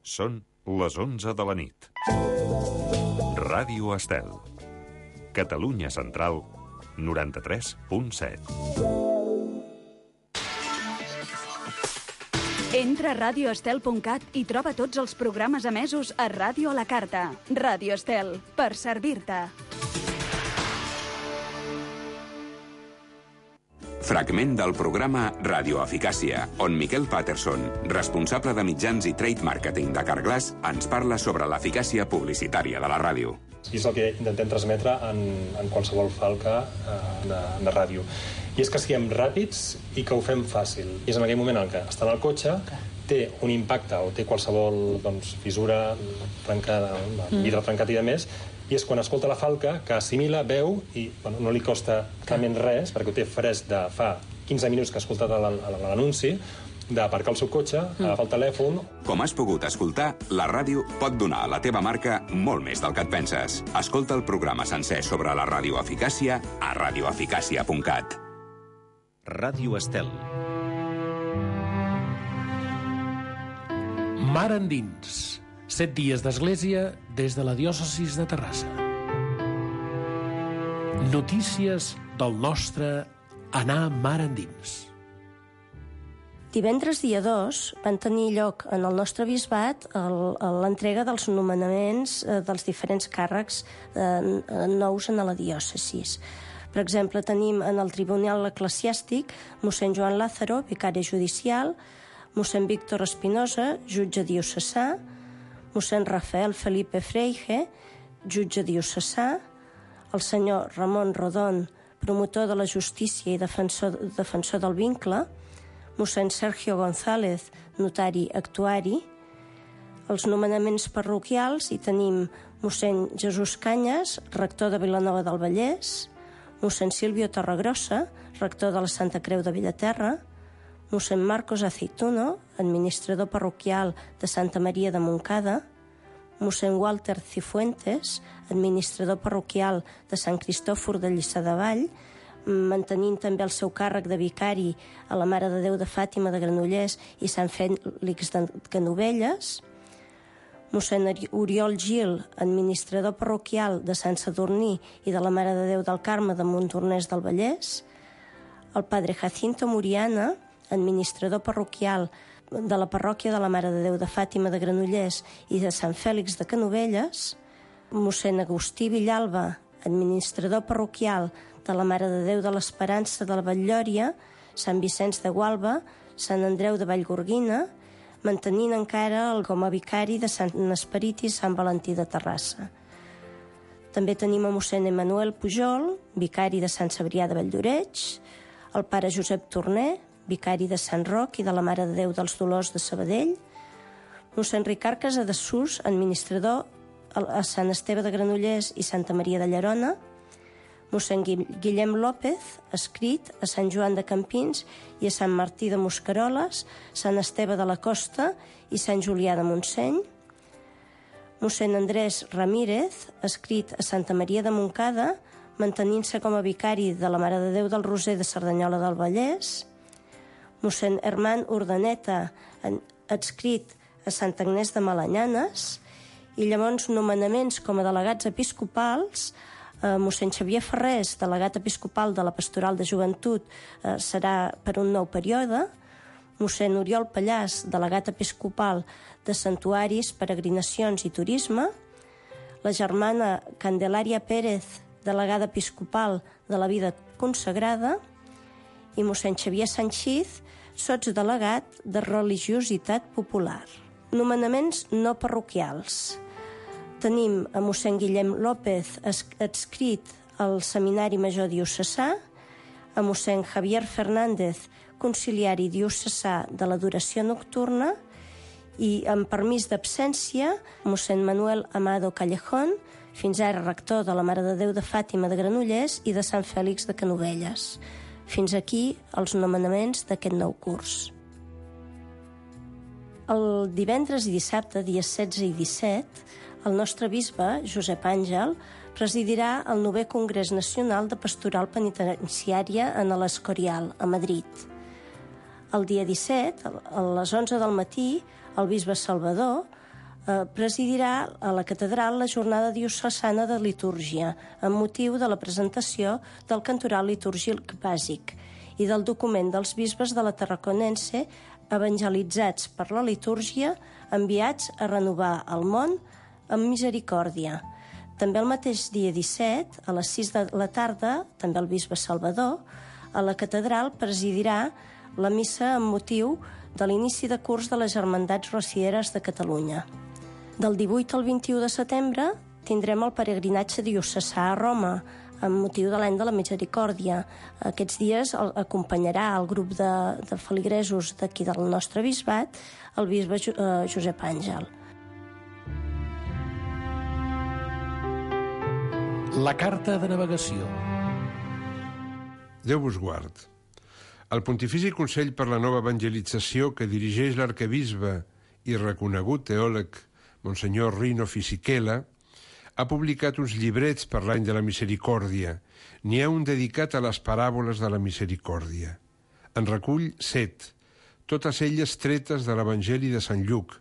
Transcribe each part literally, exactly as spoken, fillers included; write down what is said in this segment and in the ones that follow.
Són les onze de la nit. Ràdio Estel. Catalunya Central, noranta-tres punt set. Entra a radio estel punt cat i troba tots els programes emesos a Ràdio a la Carta. Ràdio Estel, per servir-te. Fragment del programa Radioeficàcia, on Miquel Patterson, responsable de mitjans i trade marketing de Carglass, ens parla sobre l'eficàcia publicitària de la ràdio. I és el que intentem transmetre en, en qualsevol falca eh, de, de ràdio. I és que siguem ràpids i que ho fem fàcil. I és en aquell moment en què està en el cotxe, té un impacte o té qualsevol doncs, fissura, trencada, vidre trencat i de més, i és quan escolta la falca que assimila, veu i bueno, no li costa realment res, perquè ho té fresc de fa quinze minuts que ha escoltat l'anunci, d'aparcar el seu cotxe, agafar el telèfon. Com has pogut escoltar, la ràdio pot donar a la teva marca molt més del que et penses. Escolta el programa sencer sobre la radioeficàcia a radioeficàcia punt cat. Ràdio Estel. Mar endins. Set dies d'església des de la diòcesis de Terrassa. Notícies del nostre anar mar endins. Divendres dia dos van tenir lloc en el nostre bisbat l'entrega dels nomenaments dels diferents càrrecs nous en la diòcesis. Per exemple, tenim en el Tribunal Eclesiàstic mossèn Joan Lázaro, vicari judicial, mossèn Víctor Espinosa, jutge diocesà, mossèn Rafael Felipe Freige, jutge diocesà, el senyor Ramon Rodon, promotor de la justícia i defensor, defensor del vincle, mossèn Sergio González, notari actuari. Els nomenaments parroquials hi tenim mossèn Jesús Canyes, rector de Vilanova del Vallès, mossèn Silvio Torregrossa, rector de la Santa Creu de Villaterra, mossèn Marcos Aceituno, administrador parroquial de Santa Maria de Montcada, mossèn Walter Cifuentes, administrador parroquial de Sant Cristòfor de Lliçà de Vall, mantenint també el seu càrrec de vicari a la Mare de Déu de Fàtima de Granollers i Sant Fèlix de Canovelles, mossèn Oriol Gil, administrador parroquial de Sant Sadurní i de la Mare de Déu del Carme de Montornès del Vallès, el padre Jacinto Muriana, administrador parroquial de la parròquia de la Mare de Déu de Fàtima de Granollers i de Sant Fèlix de Canovelles, mossèn Agustí Villalba, administrador parroquial de la Mare de Déu de l'Esperança de la Batllòria, Sant Vicenç de Gualba, Sant Andreu de Vallgorguina, mantenint encara el com a vicari de Sant Esperit i Sant Valentí de Terrassa. També tenim a mossèn Emanuel Pujol, vicari de Sant Cebrià de Valldoreix, el pare Josep Torner, vicari de Sant Roc i de la Mare de Déu dels Dolors de Sabadell, mossèn Ricard Casadesús, administrador a Sant Esteve de Granollers i Santa Maria de Llerona, mossèn Guillem López, escrit a Sant Joan de Campins i a Sant Martí de Mosqueroles, Sant Esteve de la Costa i Sant Julià de Montseny, mossèn Andrés Ramírez, escrit a Santa Maria de Montcada, mantenint-se com a vicari de la Mare de Déu del Roser de Cerdanyola del Vallès, mossèn Herman Urdaneta, adscrit a Sant Agnès de Malanyanes, i llavors nomenaments com a delegats episcopals, eh, mossèn Xavier Ferrés, delegat episcopal de la Pastoral de Joventut, eh, serà per un nou període, mossèn Oriol Pallàs, delegat episcopal de Santuaris, Peregrinacions i Turisme, la germana Candelària Pérez, delegada episcopal de la Vida Consagrada, i mossèn Xavier Sanchiz, sotsdelegat de Religiositat Popular. Nomenaments no parroquials. Tenim a mossèn Guillem López, adscrit al Seminari Major Diocesà, a mossèn Javier Fernández, conciliari diocesà de l'adoració nocturna, i amb permís d'absència, mossèn Manuel Amado Callejón, fins ara rector de la Mare de Déu de Fàtima de Granollers i de Sant Fèlix de Canovelles. Fins aquí els nomenaments d'aquest nou curs. El divendres i dissabte, dies setze i disset, el nostre bisbe, Josep Àngel, presidirà el novè Congrés Nacional de Pastoral Penitenciària en l'Escorial, a Madrid. El dia disset, a les onze del matí, el bisbe Salvador eh, presidirà a la catedral la jornada diocesana de litúrgia amb motiu de la presentació del cantoral litúrgic bàsic i del document dels bisbes de la Tarraconense evangelitzats per la litúrgia, enviats a renovar el món amb misericòrdia. També el mateix dia disset, a les sis de la tarda, també el bisbe Salvador, a la catedral presidirà la missa amb motiu de l'inici de curs de les Germandats Rocieres de Catalunya. Del divuit al vint-i-u de setembre tindrem el peregrinatge diocesà a Roma, amb motiu de l'any de la Misericòrdia. Aquests dies acompanyarà el grup de, de feligresos d'aquí del nostre bisbat, el bisbe eh, Josep Àngel. La carta de navegació. Déu vos guard. El Pontifici Consell per la Nova Evangelització que dirigeix l'arquebisbe i reconegut teòleg Monsenyor Rino Fisichella ha publicat uns llibrets per l'any de la misericòrdia. N'hi ha un dedicat a les paràboles de la misericòrdia. En recull set, totes elles tretes de l'Evangeli de Sant Lluc,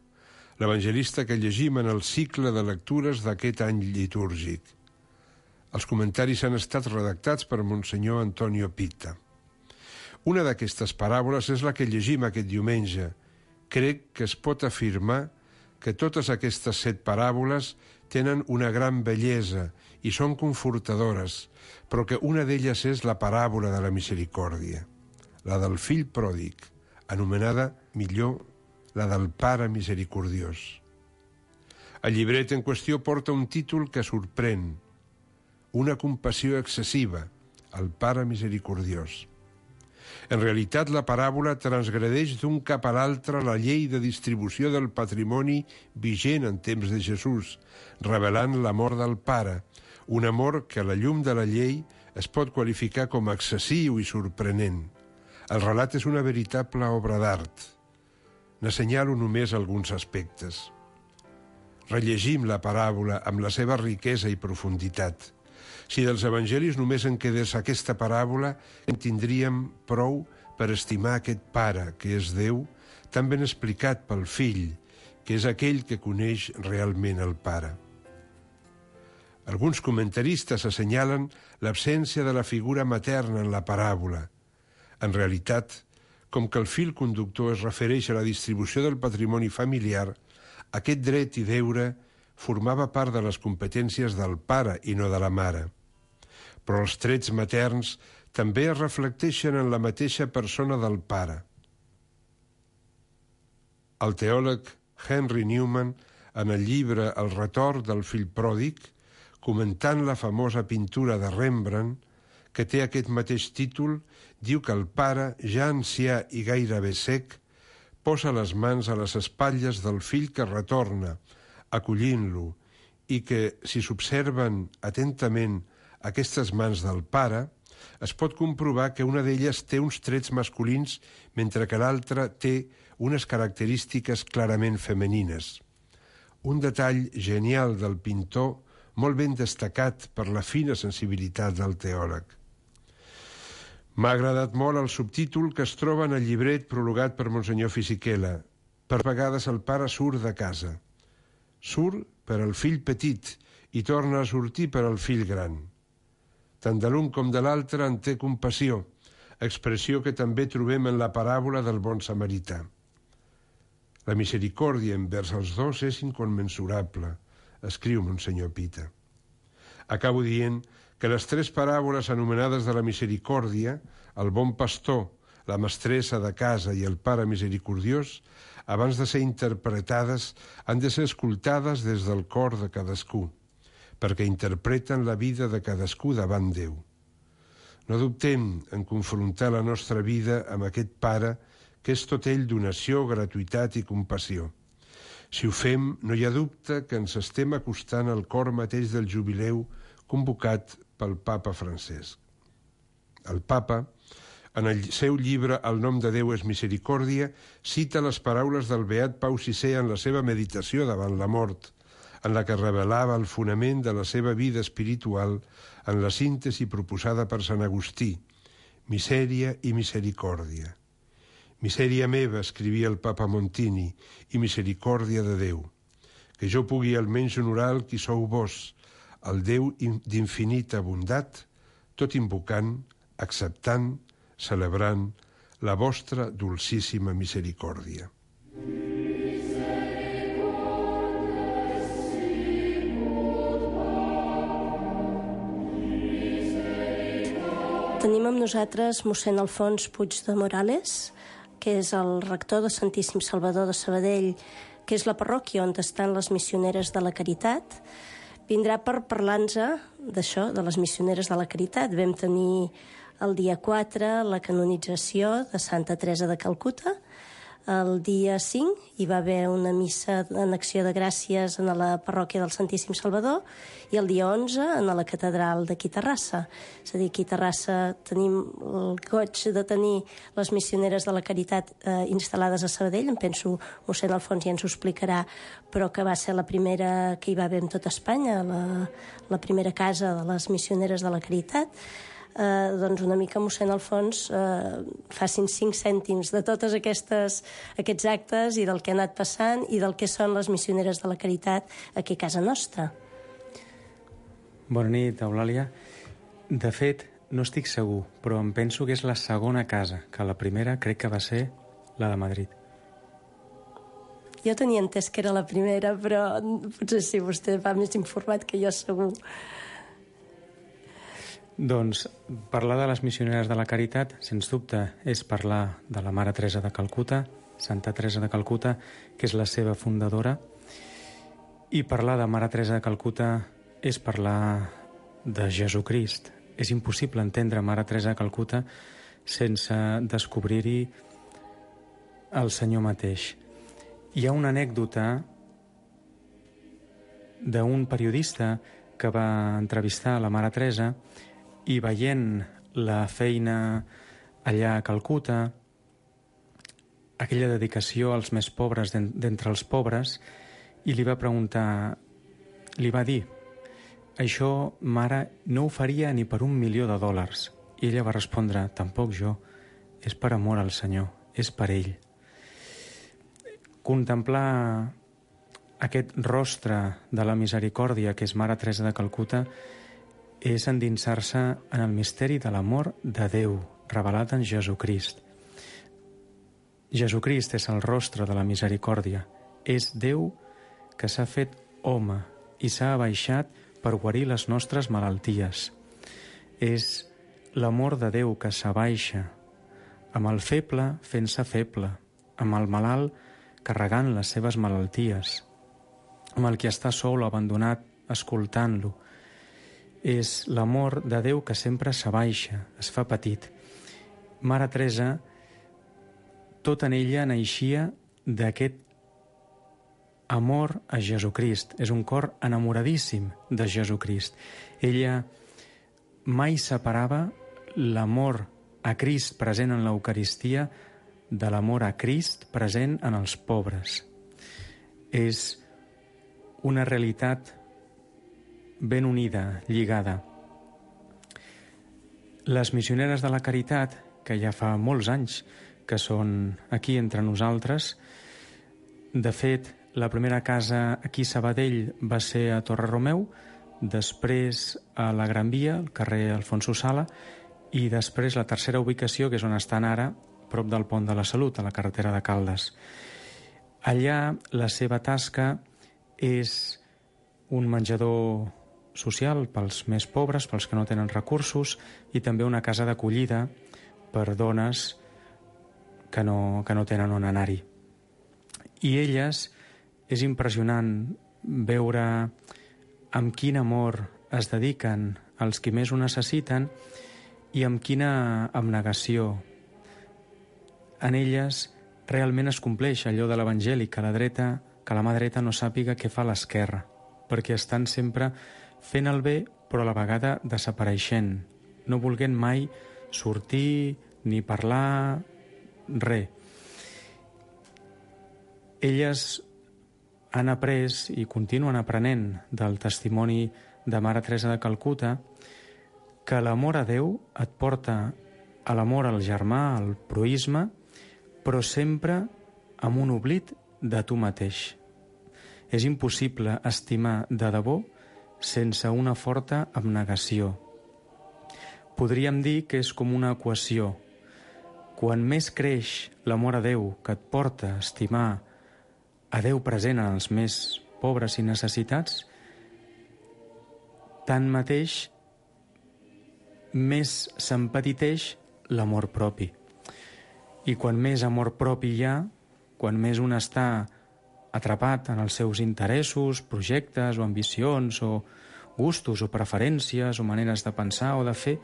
l'evangelista que llegim en el cicle de lectures d'aquest any litúrgic. Els comentaris han estat redactats per Monsenyor Antonio Pita. Una d'aquestes paràboles és la que llegim aquest diumenge. Crec que es pot afirmar que totes aquestes set paràboles tenen una gran bellesa i són confortadores, però que una d'elles és la paràbola de la misericòrdia, la del fill pròdig, anomenada millor la del pare misericordiós. El llibret en qüestió porta un títol que sorprèn, una compassió excessiva, el pare misericordiós. En realitat, la paràbola transgredeix d'un cap a l'altre la llei de distribució del patrimoni vigent en temps de Jesús, revelant l'amor del Pare, un amor que a la llum de la llei es pot qualificar com excessiu i sorprenent. El relat és una veritable obra d'art. N'assenyalo només alguns aspectes. Rellegim la paràbola amb la seva riquesa i profunditat. Si dels evangelis només en quedés aquesta paràbola, en tindríem prou per estimar aquest Pare, que és Déu, tan ben explicat pel Fill, que és aquell que coneix realment el Pare. Alguns comentaristes assenyalen l'absència de la figura materna en la paràbola. En realitat, com que el fil conductor es refereix a la distribució del patrimoni familiar, aquest dret i deure formava part de les competències del pare i no de la mare. Però els trets materns també es reflecteixen en la mateixa persona del pare. El teòleg Henry Newman, en el llibre El retorn del fill pròdig, comentant la famosa pintura de Rembrandt, que té aquest mateix títol, diu que el pare, ja ancià i gairebé sec, posa les mans a les espatlles del fill que retorna, acollint-lo, i que, si s'observen atentament aquestes mans del pare, es pot comprovar que una d'elles té uns trets masculins mentre que l'altra té unes característiques clarament femenines. Un detall genial del pintor, molt ben destacat per la fina sensibilitat del teòleg. M'ha agradat molt el subtítol que es troba en el llibret prologat per Monsenyor Fisichella. Per vegades el pare surt de casa. Surt per al fill petit i torna a sortir per al fill gran. Tant de l'un com de l'altre en té compassió, expressió que també trobem en la paràbola del bon samarità. La misericòrdia envers els dos és inconmensurable, escriu Monsenyor Pita. Acabo dient que les tres paràboles anomenades de la misericòrdia, el bon pastor, la mestressa de casa i el pare misericordiós, abans de ser interpretades, han de ser escoltades des del cor de cadascú, perquè interpreten la vida de cadascú davant Déu. No dubtem en confrontar la nostra vida amb aquest Pare, que és tot ell donació, gratuïtat i compassió. Si ho fem, no hi ha dubte que ens estem acostant al cor mateix del jubileu convocat pel papa Francesc. El papa, en el seu llibre El nom de Déu és misericòrdia, cita les paraules del beat Pau sisè en la seva meditació davant la mort, en la que revelava el fonament de la seva vida espiritual en la síntesi proposada per Sant Agustí, misèria i misericòrdia. Misèria meva, escrivia el papa Montini, i misericòrdia de Déu. que jo pugui almenys honorar el qui sou vos, el Déu d'infinita bondat, tot invocant, acceptant, celebrant la vostra dolcíssima misericòrdia. Tenim amb nosaltres mossèn Alfons Puig de Morales, que és el rector de Santíssim Salvador de Sabadell, que és la parròquia on estan les missioneres de la Caritat. Vindrà per parlar-nos d'això, de les missioneres de la Caritat. Vam tenir el dia quatre la canonització de Santa Teresa de Calcuta. El dia cinc hi va haver una missa en acció de gràcies en la parròquia del Santíssim Salvador i el dia onze en la catedral d'aquí Terrassa. És a dir, aquí a Terrassa tenim el goig de tenir les missioneres de la Caritat eh, instal·lades a Sabadell. Em penso, mossèn Alfons ja ens ho explicarà, però que va ser la primera que hi va haver en tota Espanya, la, la primera casa de les missioneres de la Caritat. Eh, doncs una mica mossèn Alfons eh, facin cinc cèntims de totes aquestes, aquests actes i del que ha anat passant i del que són les missioneres de la Caritat aquí a casa nostra. Bona nit, Eulàlia. De fet, no estic segur, però em penso que és la segona casa, que la primera crec que va ser la de Madrid. Jo tenia entès que era la primera, però potser sí, vostè va més informat que jo segur. Doncs parlar de les missioneres de la Caritat, sens dubte, és parlar de la Mare Teresa de Calcuta, Santa Teresa de Calcuta, que és la seva fundadora, i parlar de Mare Teresa de Calcuta és parlar de Jesucrist. És impossible entendre Mare Teresa de Calcuta sense descobrir-hi el Senyor mateix. Hi ha una anècdota d'un periodista que va entrevistar la Mare Teresa i veient la feina allà a Calcuta, aquella dedicació als més pobres d'entre els pobres, i li va preguntar, li va dir, això, mare, no ho faria ni per un milió de dòlars. I ella va respondre, tampoc jo, és per amor al Senyor, és per ell. Contemplar aquest rostre de la misericòrdia que és Mare Teresa de Calcuta és endinsar-se en el misteri de l'amor de Déu, revelat en Jesucrist. Jesucrist és el rostre de la misericòrdia. És Déu que s'ha fet home i s'ha abaixat per guarir les nostres malalties. És l'amor de Déu que s'abaixa, amb el feble fent-se feble, amb el malalt carregant les seves malalties, amb el qui està sol o abandonat escoltant-lo. És l'amor de Déu que sempre s'abaixa, es fa petit. Mare Teresa, tot en ella naixia d'aquest amor a Jesucrist. És un cor enamoradíssim de Jesucrist. Ella mai separava l'amor a Crist present en l'Eucaristia de l'amor a Crist present en els pobres. És una realitat ben unida, lligada. Les missioneres de la Caritat, que ja fa molts anys que són aquí entre nosaltres, de fet, la primera casa aquí a Sabadell va ser a Torre Romeu, després a la Gran Via, al carrer Alfonso Sala, i després la tercera ubicació, que és on estan ara, prop del Pont de la Salut, a la carretera de Caldes. Allà la seva tasca és un menjador social pels més pobres, pels que no tenen recursos, i també una casa d'acollida per dones que no, que no tenen on anar-hi. I elles, és impressionant veure amb quin amor es dediquen als qui més ho necessiten i amb quina abnegació. En elles realment es compleix allò de l'Evangeli, que la dreta, que la mà dreta no sàpiga què fa l'esquerra, perquè estan sempre fent el bé, però a la vegada desapareixent, no volent mai sortir ni parlar, res. Elles han après i continuen aprenent del testimoni de Mare Teresa de Calcuta que l'amor a Déu et porta a l'amor al germà, al proïsme, però sempre amb un oblit de tu mateix. És impossible estimar de debò sense una forta abnegació. Podríem dir que és com una equació. Quan més creix l'amor a Déu que et porta a estimar a Déu present en els més pobres i necessitats, tanmateix més s'empetiteix l'amor propi. I quan més amor propi hi ha, quan més un està atrapat en els seus interessos, projectes o ambicions o gustos o preferències o maneres de pensar o de fer,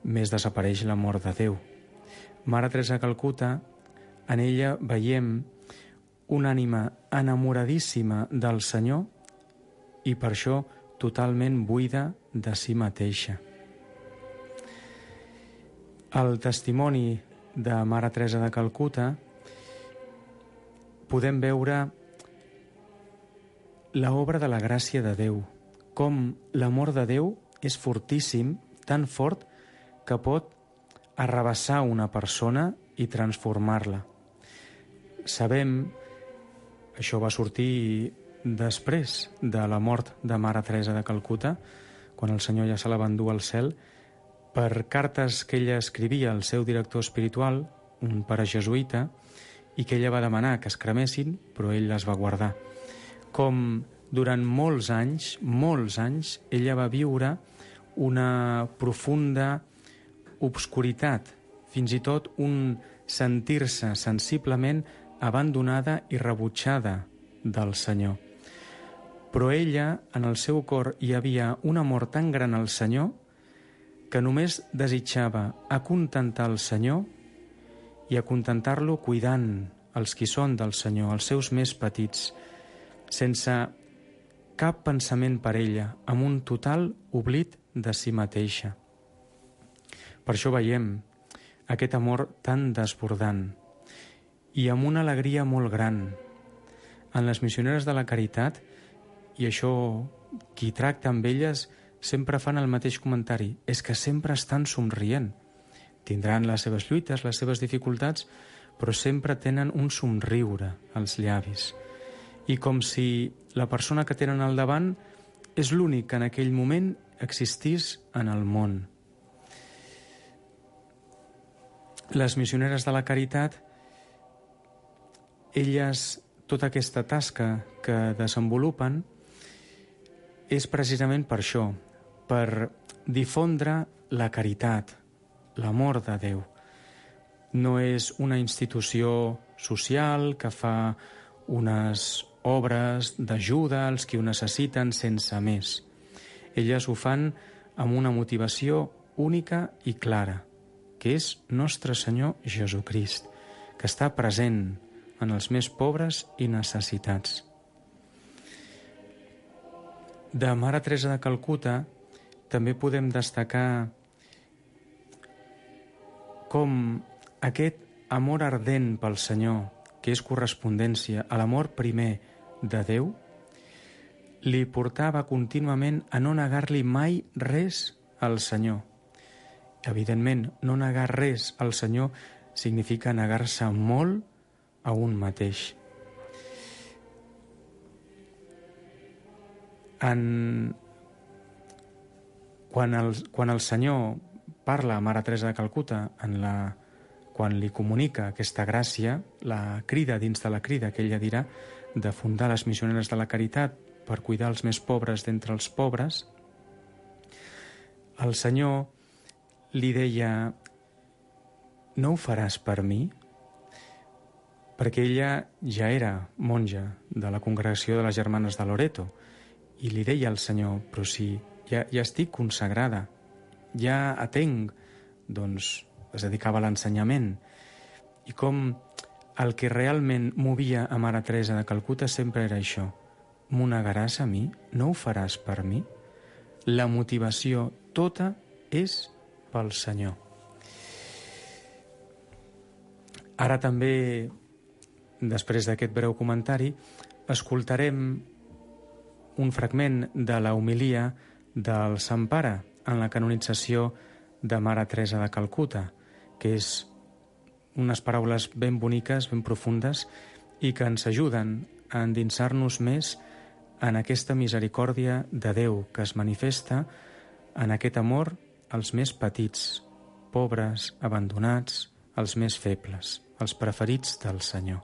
més desapareix l'amor de Déu. Mare Teresa de Calcuta, en ella veiem una ànima enamoradíssima del Senyor i per això totalment buida de si mateixa. Al testimoni de Mare Teresa de Calcuta podem veure l'obra de la gràcia de Déu, com l'amor de Déu és fortíssim, tan fort, que pot arrabassar una persona i transformar-la. Sabem, això va sortir després de la mort de Mare Teresa de Calcuta, quan el Senyor ja se la va endur al cel, per cartes que ella escrivia al seu director espiritual, un pare jesuïta, i que ella va demanar que es cremessin, però ell les va guardar. Com durant molts anys, molts anys, ella va viure una profunda obscuritat, fins i tot un sentir-se sensiblement abandonada i rebutjada del Senyor. Però ella, en el seu cor, hi havia un amor tan gran al Senyor que només desitjava acontentar el Senyor i acontentar-lo cuidant els qui són del Senyor, els seus més petits, sense cap pensament per ella, amb un total oblit de si mateixa. Per això veiem aquest amor tan desbordant i amb una alegria molt gran. En les missioneres de la caritat, i això qui tracta amb elles sempre fan el mateix comentari, és que sempre estan somrient. Tindran les seves lluites, les seves dificultats, però sempre tenen un somriure als llavis. I com si la persona que tenen al davant és l'únic que en aquell moment existís en el món. Les missioneres de la caritat, elles, tota aquesta tasca que desenvolupen, és precisament per això, per difondre la caritat, l'amor de Déu. No és una institució social que fa unes obres d'ajuda als qui ho necessiten sense més. Elles ho fan amb una motivació única i clara, que és Nostre Senyor Jesucrist, que està present en els més pobres i necessitats. De Mare Teresa de Calcuta també podem destacar com aquest amor ardent pel Senyor, que és correspondència a l'amor primer de Déu, li portava contínuament a no negar-li mai res al Senyor. Evidentment, no negar res al Senyor significa negar-se molt a un mateix. En... Quan, el, quan el Senyor parla a Mare Teresa de Calcuta, en la... quan li comunica aquesta gràcia, la crida dins de la crida que ella dirà de fundar les missioneres de la caritat per cuidar els més pobres d'entre els pobres, el Senyor li deia: no ho faràs per mi? Perquè ella ja era monja de la congregació de les Germanes de Loreto i li deia al Senyor: però si ja, ja estic consagrada, ja atenc, doncs es dedicava a l'ensenyament. I com el que realment movia a Mare Teresa de Calcuta sempre era això: m'ho negaràs a mi? No ho faràs per mi? La motivació tota és pel Senyor. Ara també, després d'aquest breu comentari, escoltarem un fragment de la homilia del Sant Pare en la canonització de Mare Teresa de Calcuta, que és unes paraules ben boniques, ben profundes, i que ens ajuden a endinsar-nos més en aquesta misericòrdia de Déu que es manifesta en aquest amor als més petits, pobres, abandonats, els més febles, els preferits del Senyor.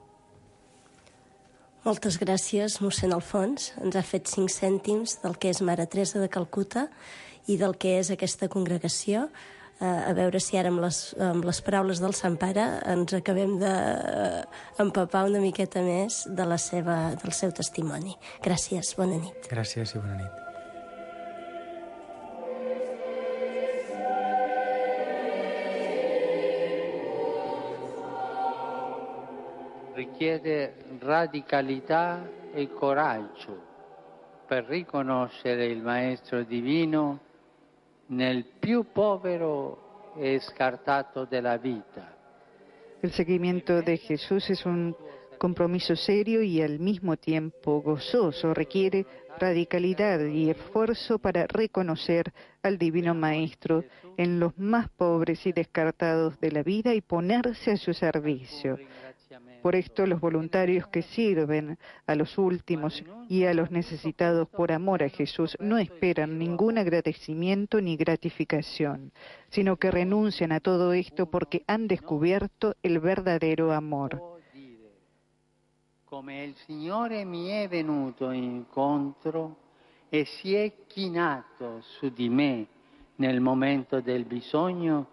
Moltes gràcies, mossèn Alfons. Ens ha fet cinc cèntims del que és Mare Teresa de Calcuta i del que és aquesta congregació. A veure si ara amb les, amb les paraules del Sant Pare ens acabem d'empapar una miqueta més de la seva, del seu testimoni. Gràcies, bona nit. Gràcies i bona nit. Richiede radicalità e coraggio per riconoscere il Maestro Divino nel più povero e scartato della vita. El seguimiento de Jesús es un compromiso serio y al mismo tiempo gozoso. Requiere radicalidad y esfuerzo para reconocer al Divino Maestro en los más pobres y descartados de la vida y ponerse a su servicio. Por esto los voluntarios que sirven a los últimos y a los necesitados por amor a Jesús no esperan ningún agradecimiento ni gratificación, sino que renuncian a todo esto porque han descubierto el verdadero amor. Come il Signore mi è venuto incontro e si è chinato su di me nel momento del bisogno,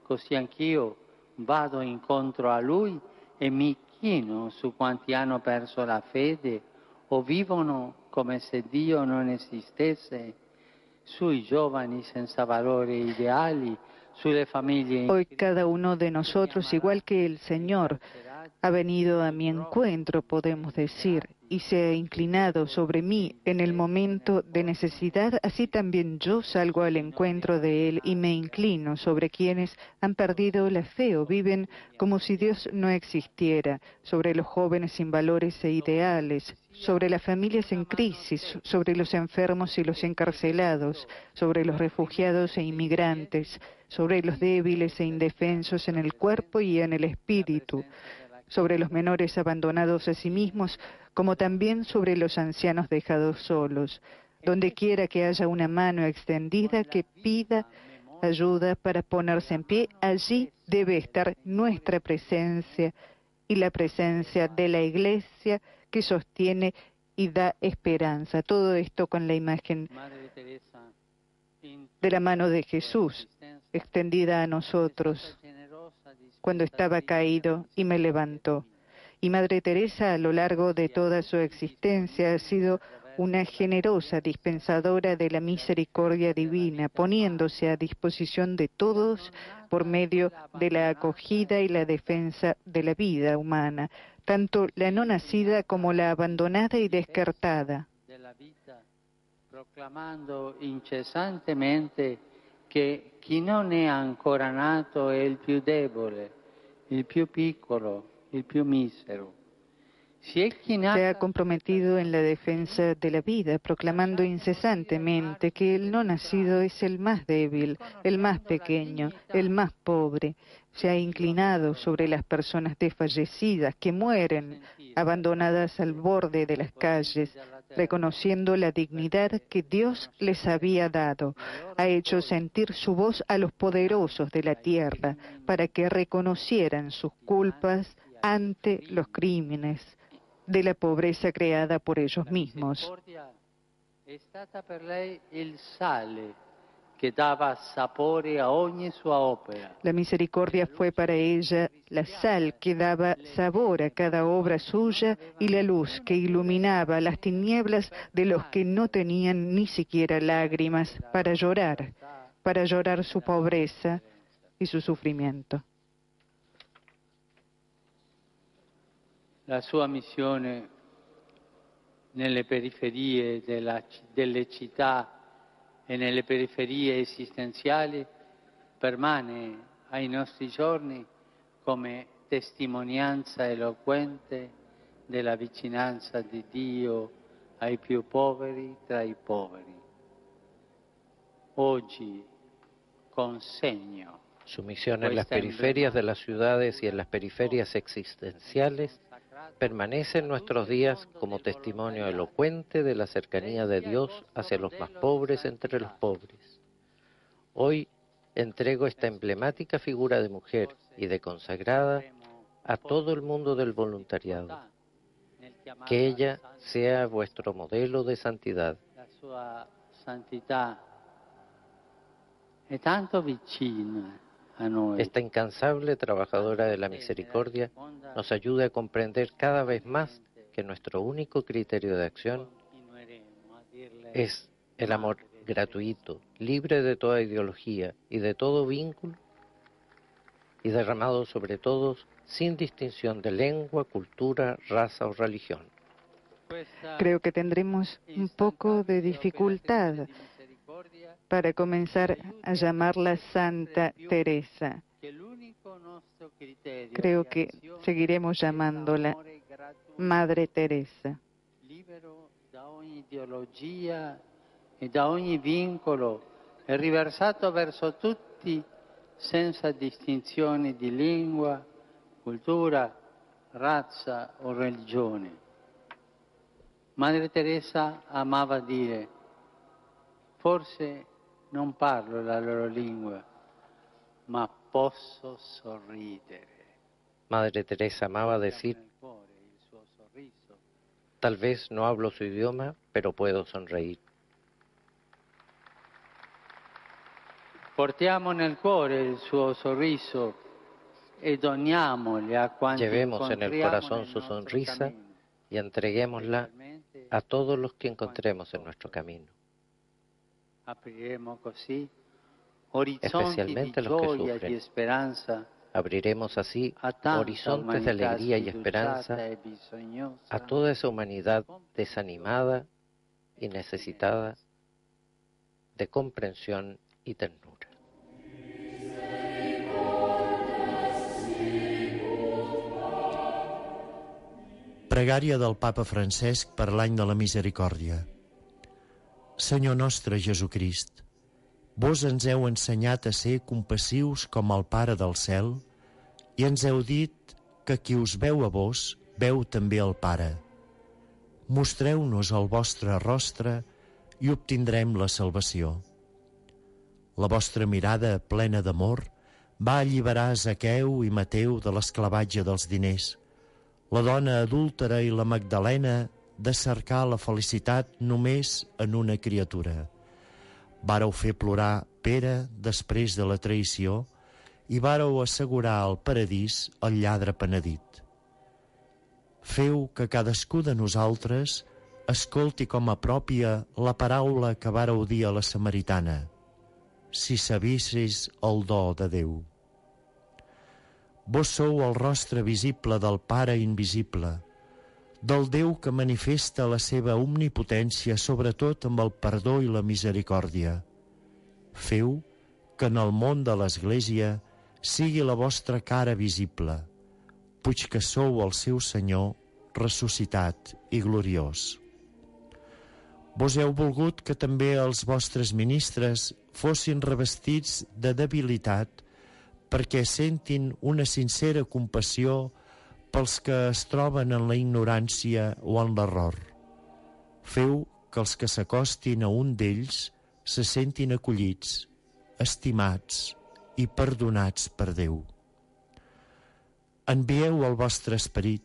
così anch'io vado incontro a Lui e mi chino su quanti hanno perso la fede o vivono come se Dio non esistesse, sui giovani senza valori ideali, sulle famiglie. Hoy cada uno de nosotros, igual que el Señor, ha venido a mi encuentro, podemos decir, y se ha inclinado sobre mí en el momento de necesidad, así también yo salgo al encuentro de Él y me inclino sobre quienes han perdido la fe o viven como si Dios no existiera, sobre los jóvenes sin valores e ideales, sobre las familias en crisis, sobre los enfermos y los encarcelados, sobre los refugiados e inmigrantes, sobre los débiles e indefensos en el cuerpo y en el espíritu, sobre los menores abandonados a sí mismos, como también sobre los ancianos dejados solos. Donde quiera que haya una mano extendida que pida ayuda para ponerse en pie, allí debe estar nuestra presencia y la presencia de la Iglesia que sostiene y da esperanza. Todo esto con la imagen de la mano de Jesús extendida a nosotros cuando estaba caído y me levantó. Y Madre Teresa, a lo largo de toda su existencia, ha sido una generosa dispensadora de la misericordia divina, poniéndose a disposición de todos por medio de la acogida y la defensa de la vida humana, tanto la no nacida como la abandonada y descartada. Proclamando incesantemente che chi non è ancora nato è il più debole, il più piccolo, il più misero. Se ha comprometido en la defensa de la vida, proclamando incesantemente que el no nacido es el más débil, el más pequeño, el más pobre. Se ha inclinado sobre las personas desfallecidas que mueren abandonadas al borde de las calles, reconociendo la dignidad que Dios les había dado. Ha hecho sentir su voz a los poderosos de la tierra para que reconocieran sus culpas ante los crímenes de la pobreza creada por ellos mismos. È stata per lei il sale che dava sapore a ogni sua opera. La misericordia fue para ella la sal que daba sabor a cada obra suya y la luz que iluminaba las tinieblas de los que no tenían ni siquiera lágrimas para llorar, para llorar su pobreza y su sufrimiento. La sua missione nelle periferie della, delle città e nelle periferie esistenziali permane ai nostri giorni come testimonianza eloquente della vicinanza di Dio ai più poveri tra i poveri. Oggi consegno su misión en las periferias de las ciudades y en las periferias existenciales permanece en nuestros días como testimonio elocuente de la cercanía de Dios hacia los más pobres entre los pobres. Hoy entrego esta emblemática figura de mujer y de consagrada a todo el mundo del voluntariado. Que ella sea vuestro modelo de santidad. La sua santità è tanto vicina a noi. Esta incansable trabajadora de la misericordia nos ayude a comprender cada vez más que nuestro único criterio de acción es el amor gratuito, libre de toda ideología y de todo vínculo, y derramado sobre todos sin distinción de lengua, cultura, raza o religión. Creo que tendremos un poco de dificultad para comenzar a llamarla Santa Teresa. Creo que seguiremos llamándola Madre Teresa. Libero da ogni ideologia e da ogni vincolo e riversato verso tutti senza distinzioni di lingua, cultura, razza o religione. Madre Teresa amava dire: forse non parlo la loro lingua, ma posso sorridere. Madre Teresa amaba decir: tal vez no hablo su idioma, pero puedo sonreír. Portiamo nel cuore il suo sorriso e doniamole a quanti Llevemos en el corazón su sonrisa y entreguémosla a todos los que encontremos en nuestro camino. Apriremo così orizzonti di gioia e di speranza. Abriremos así horizontes de alegría y esperanza a toda esa humanidad desanimada y necesitada de comprensión y ternura. Pregària del Papa Francesc per l'any de la Misericòrdia. Senyor nostre Jesucrist, vos ens heu ensenyat a ser compassius com el Pare del cel i ens heu dit que qui us veu a vos, veu també el Pare. Mostreu-nos el vostre rostre i obtindrem la salvació. La vostra mirada plena d'amor va alliberar Zaqueu i Mateu de l'esclavatge dels diners, la dona adúltera i la Magdalena de cercar la felicitat només en una criatura. Vàreu fer plorar Pere després de la traïció i vàreu assegurar al paradís el lladre penedit. Feu que cadascú de nosaltres escolti com a pròpia la paraula que vàreu dir a la samaritana: si sabissis el do de Déu. Vos sou el rostre visible del Pare invisible, del Déu que manifesta la seva omnipotència sobretot amb el perdó i la misericòrdia. Feu que en el món de l'Església sigui la vostra cara visible, puix que sou el seu Senyor ressuscitat i gloriós. Vos heu volgut que també els vostres ministres fossin revestits de debilitat perquè sentin una sincera compassió pels que es troben en la ignorància o en l'error. Feu que els que s'acostin a un d'ells se sentin acollits, estimats i perdonats per Déu. Envieu el vostre esperit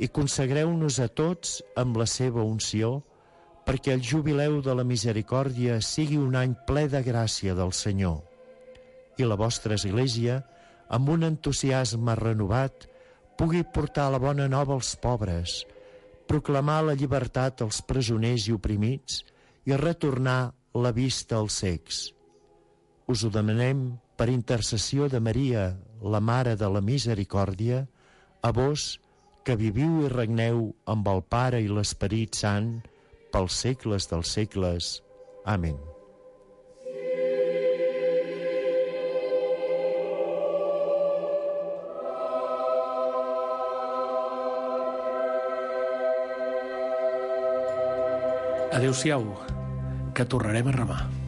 i consagreu-nos a tots amb la seva unció perquè el jubileu de la misericòrdia sigui un any ple de gràcia del Senyor i la vostra Església, amb un entusiasme renovat, pugui portar la bona nova als pobres, proclamar la llibertat als presoners i oprimits i retornar la vista als cecs. Us ho demanem per intercessió de Maria, la Mare de la Misericòrdia, a vos que viviu i regneu amb el Pare i l'Esperit Sant pels segles dels segles. Amén. Adéu-siau, que tornarem a remar.